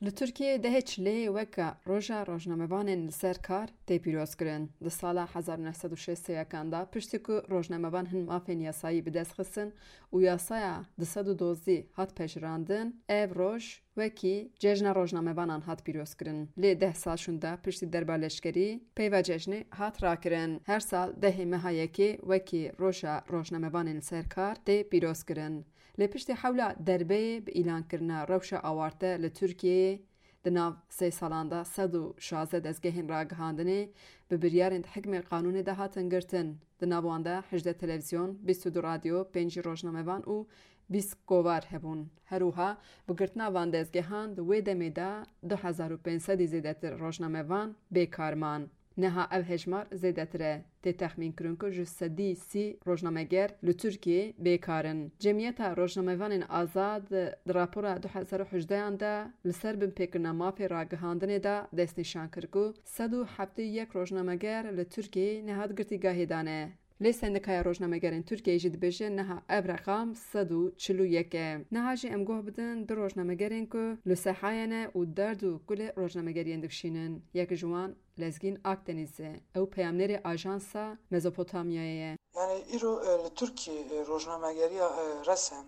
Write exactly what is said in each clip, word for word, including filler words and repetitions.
Li Tirkiyeyê dehê çileyê weke Roja Rojnamevanên li ser kar tê pîrozkirin. Di sala hezar û neh sed û şêst û yekan de, piştî ku rojnamevan hin mafên yasayî bi dest xistin û yasaya du sed û dozdî hat pejirandin, ev roj wekî Cejna Rojnamevanan hat pîrozkirin. Lê deh sal şûnde, piştî derba leşkerî, peyva cejnê hat rakirin. Her sal dehê meha yekê wekî Roja Rojnamevanên li ser kar tê pîrozkirin. Lê piştî hewla derbeyê bi îlankirina rewşa awarte li Tirkiyeyê, di nav sê salan de sed û şazdeh dezgehên ragihandinê bi biryarên di hikmê qanûnê de hatin girtin. Di nav wan de hejdeh televîzyon, bîst û du radyo, pêncî rojnamevan û bîst kovar hebûn. Her wiha bi girtina van dezgehan di wê demê de du hezar û pênc sedî zêdetir rojnamevan bêkar man. Niha ev hejmar zêdetir e. Tê texmînkirin ku ji sedî sî rojnameger li Tirkiyeyê bêkar in. Cemiyeta Rojnamevanên Azad di rapora du hezar û hejdehan de li ser binpêkirina mafê ragihandinê de destnîşan kir ku sed û heftê û yek rojnameger li Tirkiyeyê niha di girtîgahê de ne. Lê Sendikaya Rojnamegerên Tirkiyeyê jî dibêje niha ev reqam sed û çil û yek e. Niha jî em guh bidin du rojnamegerên ku li sehayê ne û derd û kulê rojnamegeriyên dikişînin. Yek ji wan Lezgîn Akdenîz e. Ew peyamnêrê Ajansa Mezopotamyayê ye. Yani îro, e, li Tirkiyê, e, rojnamegeriya, e, resen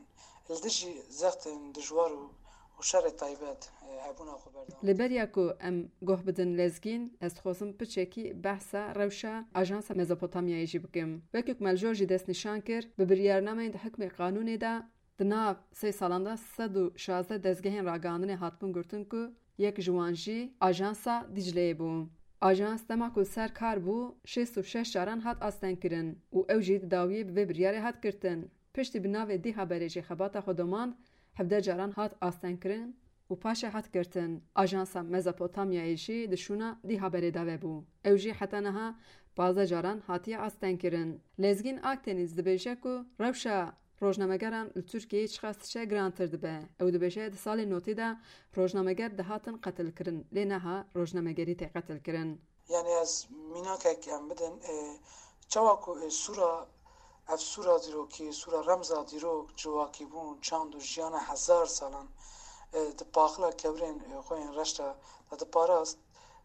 li dijî zextên dijwar û, û şerê taybet, e, hebûna xwe berdewam. Li beriya ku em guh bidin Lezgîn, ez dixwazim piçekî behsa rewşa Ajansa Mezopotamyayê jî bikim. Wekî ku me li jor jî destnîşan kir, bi biryarnameyên di hikmê qanûnê de di nav sê salan de sed û şazdeh dezgehên ragihandinê hatibûn girtin ku yek ji wan jî Ajansa Dicleyê bû. Ajans dema ku li ser kar bû, şêst û şeş caran hat astengkirin û ew jî di dawiyê bi vê biryarê hat girtin. Piştî bi navê Dîhaberê jî xebata xwe domand, hevdeh caran hat astengkirin û paşê hat girtin. Ajansa Mezopotamyayê jî di şûna Dîhaberê de vebû. Ew jî heta niha pazdeh caran hatiye astengkirin. Lezgîn Akdenîz dibêje ku rewşa rojnamegeran li Tirkiyeyê çiqas diçe girantir dibe. Ew dibêje, di salên notî de rojnameger dihatin qetilkirin, lê niha rojnamegerî tê qetilkirin. Yani ez mînakek em bidin, e, çawa ku, e, sûra, ev sûra dîrokî, sûra remza dîrok, civakîbûn, çand û jiyana hezar salan, e, di paxila kevirên, e, xwe yên reş de, de diparast,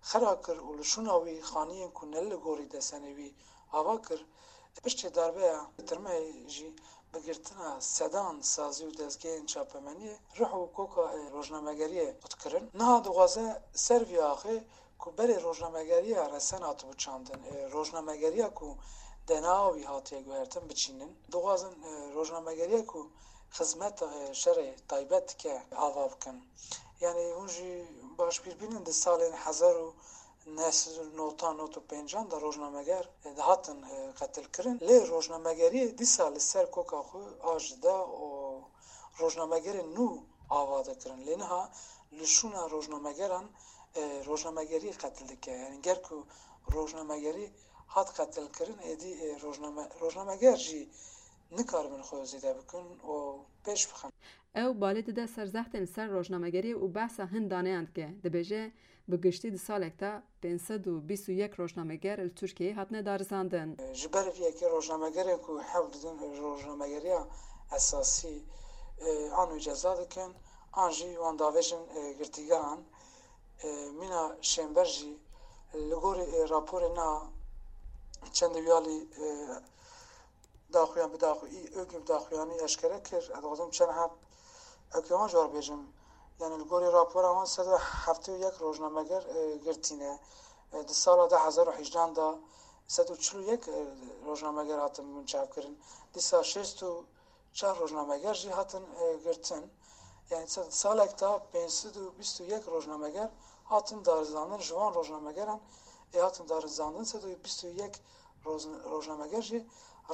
xera kir û li şûna wî xaniyên ku ne li gorî desenê wî ava kir, piştê darbeya tirmeyê jî bi girtina sedan sazî û dezgehên çapemeniyê ruh û koka, e, rojnamegeriyê qut kirin. Niha dixwaze ser vî axê ku berê rojnamegeriya resen hatibû çandin, e, rojnamegeriya ku D N A wî hatiye guhertin biçînin. Dixwazin, e, rojnamegeriya ku xizmeta, e, şerê taybet dike ava bikin. Yani hûn jî baş bîr bînin di salên hezar û neh sed û nod û pênc de rojnameger, e, dihatin, e, qetilkirin. Lê rojnamegeriyê dîsa li ser koka xwe a ji da û rojnamegerên nû ava dikirin. Lê niha li şûna rojnamegeran, e, rojnamegerî qetil dike. Yani ger ku rojnamegerî hat qetilkirin, êdî, e, rojname-, rojnameger jî nikaribin xwe zêde bikin û pêş bixin. Ew balê dide ser zextên li ser rojnamegerî û behsa hin daneyan dike. Dibêje, bi giştî di salek de pênc sed û bîst û yek rojnameger li Tirkiyeyê hatine darizandin. Ji ber vê yekê rojnamegerên ku hewl didin rojnamegeriya esasî, e, an wî ceza dikin, an jî wan davêjin, e, girtîgehan. E, mîna Şênber jî li gorî, e, raporê na çend wiyalî, e, daxuyan bi daxu-, î, ÖGB daxuyanî eşkere kir. Ez dixwazim çend heb eke wan ji we re bêjim. Yani li gorî rapora wan sed û heftê û yek rojnameger, e, girtî ne. E, di sala du hezar û hejdeh de sed û çil û yek, e, rojnameger hatin binçavkirin. Dîsa şêst û çar rojnameger jî hatin, e, girtin. Yani sed-, salek de pênc sed û bîst û yek rojnameger hatin darizandin, ji wan rojnamegeran ê hatin darizandin sed û bîst û yek roz-, rojnameger jî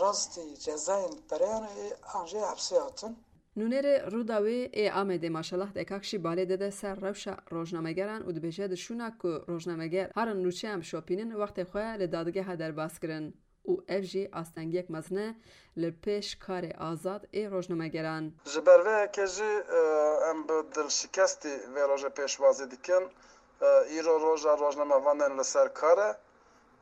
rastî cezayên pereyan ê an jê hepsê hatin. Nûnerê Rûdawê ê Amedê Maşelah Dekak jî balê dide ser rewşa rojnamegeran û dibêje, di şûna ku rojnameger herin nûçeyan bişopînin, wextê xwe li dadgeha derbas kirin û ev jî astengiyek mezin e li pêş karê azad ê rojnamegeran. Ji ber vê yekê jî, e, em bi dilşikestî vê rojê pêşwazî dikin. E, îro roja rojnamevanên li ser kar e.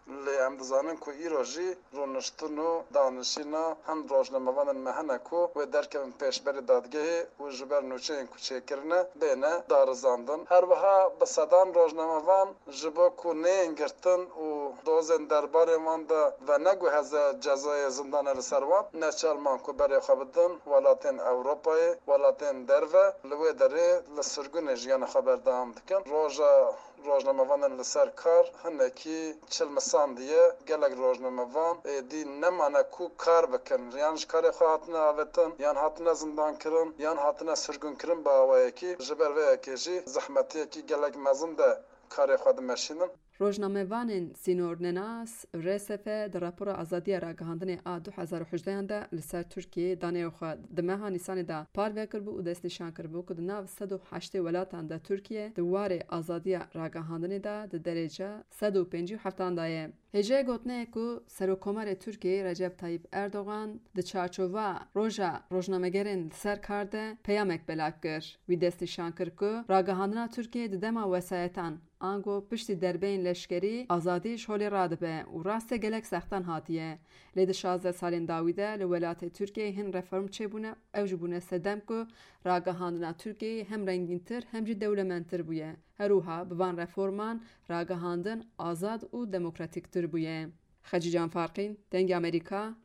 Lê em dizanin ku îro jî rûniştin û danişîna hin rojnamevanên me hene ku wê derkevin pêşberî dadgehê û ji ber nûçeyên ku çêkirine bêne darizandin. Her wiha bi sedan rojnamevan ji bo ku neyên girtin û dozên derbarê wan de veneguheze cezayê zindanê li ser wan, neçar man ku berê xwe bidin welatên Ewropayê, welatên derve, li wê derê li sirgûnê jiyana xwe berdewam dikin. Roja rojnamevanên li ser kar hinekî çilmisandiye. Gelek rojnamevan êdî nemane ku kar bikin. Yan ji karê xwe hatine avêtin, yan hatine zindankirin, yan hatine sirgûnkirin bi awayekî. Ji ber vê yekê jî zehmetiyekî gelek mezin de karê xwe dimeşînin. Rojnamevanên sînornenas, R S F, di rapora Azadiya Ragihandinê a du hezar û hejdehan de li ser Tirkiyeyê daneyê xwe di meha Nîsanê de parve kiribû û destnîşan kiribû ku di nav sed û heştê welatan de Tirkiye di warê azadiya ragihandinê de di derece sed û pêncî û heftan de ye. Hêjayê gotinê ye ku Serokkomarê Tirkiyeyê Recep Tayyip Erdogan di çarçova Roja Rojnamegerên li ser kar de peyamek belav kir. Wî destnîşan kir ku ragihandina Tirkiyeyê di dema wesayetan ango piştî derbeyên leşkerî azadî ji holê radibe û rastê gelek zextan hatiye. Lê di şazdeh salên dawî de li welatê Tirkiyeyê hin reform çêbûne, ew jî bûne sedem ku ragihandina Tirkiyeyê hem rengîntir hem jî dewlemendtir bûye. Her wiha bi van reforman ragihandin azad û demokratîktir bûye. Xecîcan Farqîn, Dengê Amerîka,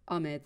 Amed.